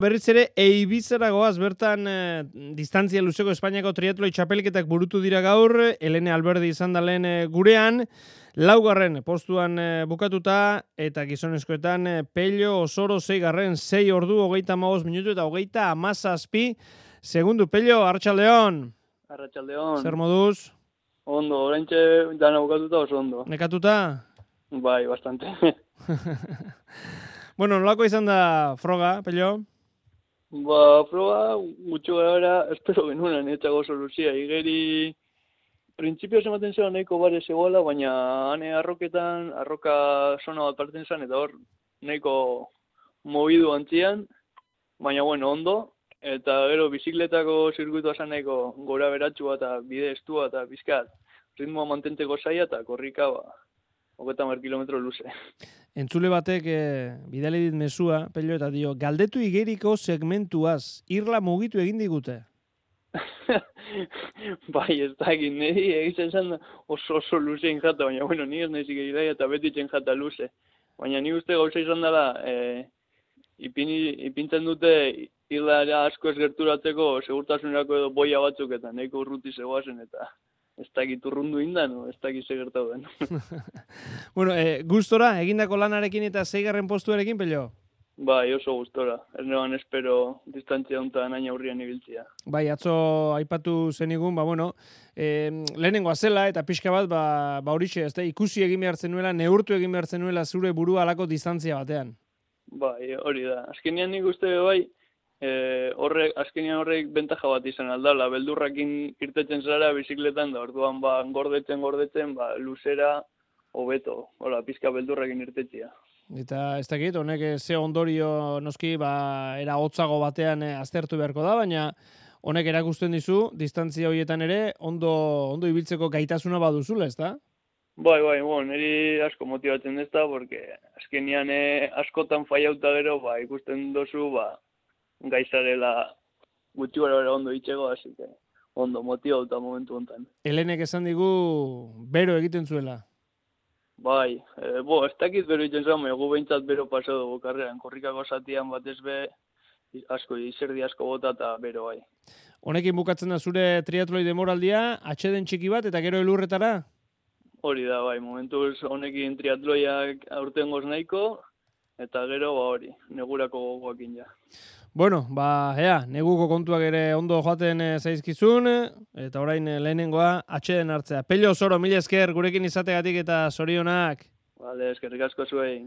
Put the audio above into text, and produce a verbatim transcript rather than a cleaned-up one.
Berriz ere, Eibizara goaz, bertan eh, distantzia luzeko Espainiako triatloi txapelketak burutu dira gaur, Helene Alberdi izan da lehen eh, gurean, laugarren postuan eh, bukatuta, eta gizonezkoetan eh, Pello Osoro zeigarren, sei ordu, hogeita hamabost minutu eta hogeita hamazazpi segundu. Pello, Arratsaldeon. Arratsaldeon. Zer moduz? Ondo, oraintxe dana bukatuta oso ondo. Nekatuta? Bai, bastante. Bueno, nolako izan da froga, Pello? Ba, proba, gutxo gara, espero genuenan, etxago soluzia. Igeri, printzipioz ematen zela nahiko bare zegoela, baina hane arroketan, arroka zona bat parten zen, eta hor nahiko mobidu antzian, baina bueno, ondo. Eta gero bizikletako zirkuitua zen nahiko gora beratxua eta bide estua eta bizkat ritmoa mantenteko zaila eta korrika ba, hogeita hamar kilometro luze. Entzule batek eh, bidali dit mezua, Pello, eta dio, galdetu igeriko segmentuaz, irla mugitu egin digute. Bai, ez da egin, niri egiten zen oso oso luzein jata, baina bueno, ni ez nahizik egitea eta betitzen jata luze. Baina ni uste gauza izan dela, e, ipini, ipintzen dute irlara asko ez gerturatzeko segurtasunerako edo boia batzuk eta nahiko urruti zegoazen eta ez dakit urrundu indan, ez dakit ze gertau den. Bueno, eh, gustora, egindako lanarekin eta zeigarren postuarekin, Pello? Bai, oso gustora. Ez neban espero distantzia hontan hain aurrian ibiltzia. Bai, atzo aipatu zenigun, ba, bueno, eh, lehenengoa zela eta pixka bat, ba, ba horixe, ez da, ikusi egin behar zenuela, neurtu egin behar zenuela zure burua alako distantzia batean. Bai, hori da. Azkenean nik uste bai, E, horrek, azkenean horrek bentaja bat izan aldala, beldurrakin irtetzen zara bizikletan, da orduan ba, gordetzen, gordetzen, ba, luzera, hobeto, hola, pizka beldurrakin irtetzia. Eta ez dakit, honek ze ondorio noski, ba, era hotzago batean eh, aztertu beharko da, baina honek erakusten dizu, distantzia horietan ere, ondo, ondo ibiltzeko gaitasuna baduzula, ez da? Bai, bai, bon, niri asko motibatzen ez da, porque azkenean eh, askotan faiauta gero, ba, ikusten dozu, ba, gaizarela gutxi gara ondo itxego, hasi que ondo motibauta momentu hontan. Helenek esan digu bero egiten zuela. Bai, e, bo, ez dakit bero egiten zuen, egu behintzat bero paso dugu karreran, korrikako zatian batez be, asko, izerdi asko bota eta bero bai. Honekin bukatzen da zure triatloi demoraldia, atxeden txiki bat eta gero elurretara? Hori da, bai, momentuz honekin triatloiak aurten goz nahiko, eta gero, ba hori, negurako gogoakin ja. Bueno, ba, ea, neguko kontuak ere ondo joaten e, zaizkizun, eta orain e, lehenengoa atxeden hartzea. Pello Osoro, mila esker gurekin izategatik eta zorionak. Vale, eskerrik asko zuei.